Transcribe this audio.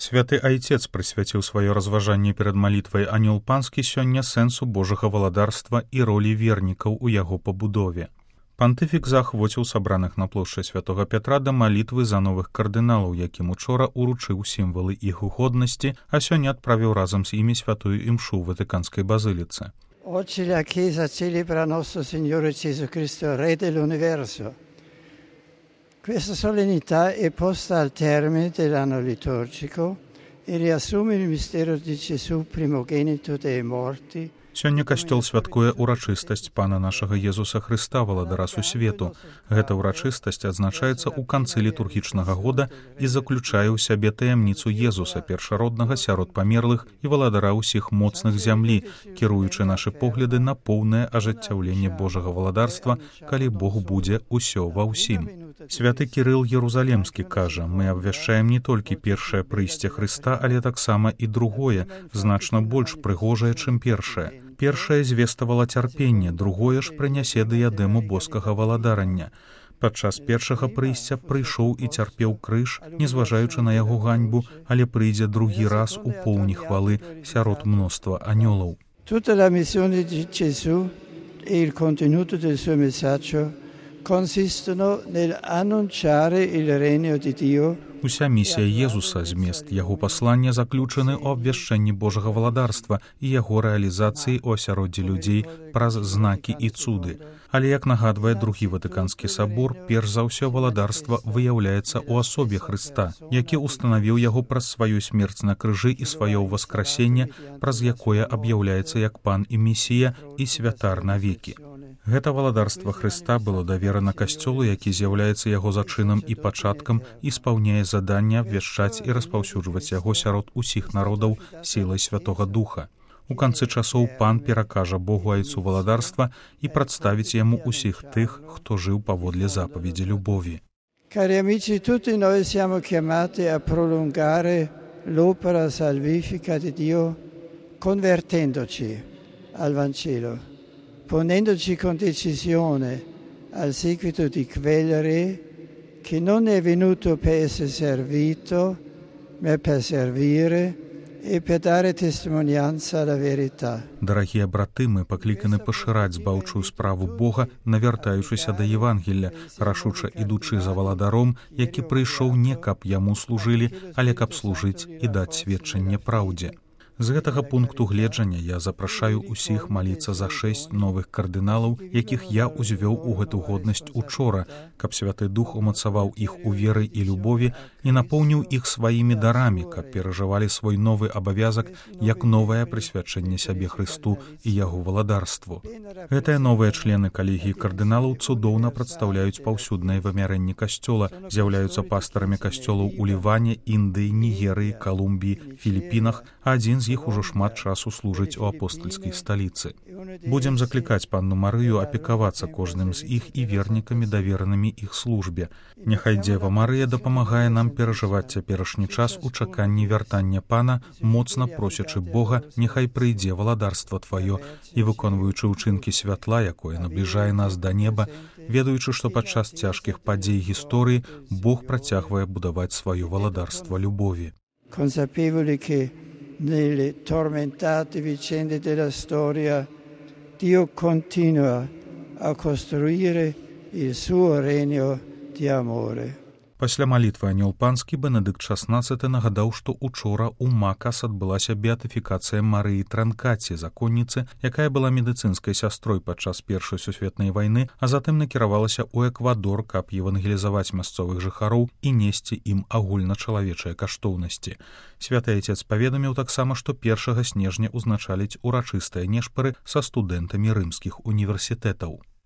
Святы Айцец прысвяціў сваё разважанне перад малітвай Анёл Панскі сёння сэнсу Божага валадарства і ролі вернікаў у яго пабудове. Пантыфік заахвоціў сабраных на плошчы святога Пятра да малітвы за новых кардыналаў, якім учора уручыў сімвалы іх годнасці, а сёння адправіў разам з імі святую імшу ў Ватыканскай базыліцы. Oggi la Chiesa celebra nostro Signore Gesù Cristo, Re dell'universo. Questa solennità è posta al termine dell'anno liturgico e riassume il mistero di Gesù primogenito dei morti. Сёння касцёл святкуе ўрачыстасць Пана нашага Езуса Хрыста, валадара сусвету. Гэта ўрачыстасць адзначаецца ў канцы літургічнага года і заключае ў сябе таямніцу Езуса, першароднага сярод памерлых і валадара ўсіх моцных зямлі, кіруючы нашы погляды на поўнае ажыццяўленне Божага валадарства, калі Бог будзе ўсё ва ўсім. Святы Кірыл Єрусалемскі кажа: «Мы абвяшчаем не толькі першае прыйсце Хрыста, але таксама і другое, значна больш прыгожае, чым першае. Першае звеставала цярпенне, другое ж прынясе дыядэму боскага валадарання. Падчас першага прыйсця прыйшоў і цярпеў крыж, незважаючы на яго ганьбу, але прыйдзе другі раз у поўні хвалы сярод мноства анёлаў». Tutta la missione di Gesù e il contenuto del suo messaggio consistono nell'annunciare il regno di Dio. Уся місія Езуса, змест яго паслання заключаны ў абвяшчэнні Божага валадарства і яго рэалізацыі ў асяроддзі людзей праз знакі і цуды. Але, як нагадвае другі Ватыканскі сабор, перш за ўсё валадарства выяўляецца ў асобе Хрыста, які ўстанавіў яго праз сваю смерць на крыжы і сваё ўваскрасенне, праз якое аб'яўляецца як пан і месія і святар навекі. Гэта валадарства Хрыста было даверана касцёлу, які з'яўляецца яго зачынам і пачаткам і спаўняе заданне абвяшчаць і распаўсюджваць яго сярод усіх народаў сілай Святога Духа. У канцы часоў пан перакажа Богу айцу валадарства і прадставіць яму усіх тых, хто жыў паводле запаведзі любові. Cari amici, tutti noi siamo chiamati a prolungare l'opera salvifica di Dio convertendoci al Vangelo, ponendoci con decisione al seguito di quel Re che non è venuto per essere servito, ma per servire e per dare testimonianza alla verità. Дарагія браты, мы пакліканы пашыраць збаўчую справу Бога, навяртаючыся да Евангелля, рашуча ідучы за валадаром, які прыйшоў не каб яму служылі, але каб служыць і даць сведчанне праўдзе. З гэтага пункту гледжання я запрашаю усіх маліцца за 6 новых кардыналаў, якіх я ўзвёў у гэту годнасць учора, каб Святы Дух умацаваў іх у веры і любові і напоўніў іх сваімі дарамі, каб перажывалі свой новы абавязак як новае прысвячэнне сябе Хрысту і яго валадарству. Гэтыя новыя члены калегіі кардыналаў цудоўна прадстаўляюць паўсюднае вымярэнне касцёла, з'яўляюцца пастарамі касцёлаў у Ліване, Індыі, Нігерыі, Калумбіі, Філіпінах, а адзін з іх ужо шмат часу служыць у апостальскай сталіцы. Будзем заклікаць панну Марыю апекавацца кожным з іх і вернікамі, даверанымі іх службе. Няхай Дзева Марыя дапамагае нам перажываць цяперашні час у чаканні вяртання Пана, моцна просячы Бога, няхай прыйдзе валадарства Тваё, і выконваючы ўчынкі святла, якое набліжае нас да неба, ведаючы, што падчас цяжкіх падзей гісторыі Бог працягвае будаваць сваё валадарства любові. Consapevoli che nelle tormentate vicende della storia Dio continua a costruire il suo regno di amore. Пасля малітвы Анёл Панскі Бенедыкт XVI нагадаў, што учора ў Макас адбылася беатыфікацыя Марыі Транкаці, законніцы, якая была медыцынскай сястрой падчас Першай сусветнай вайны, а затым накіравалася ў Эквадор, каб евангелізаваць мясцовых жыхароў і несці ім агульначалавечыя каштоўнасці. Святы Айцец паведаміў таксама, што 1 снежня ўзначаліць урачыстыя нешпары са студэнтамі рымскіх універсітэтаў.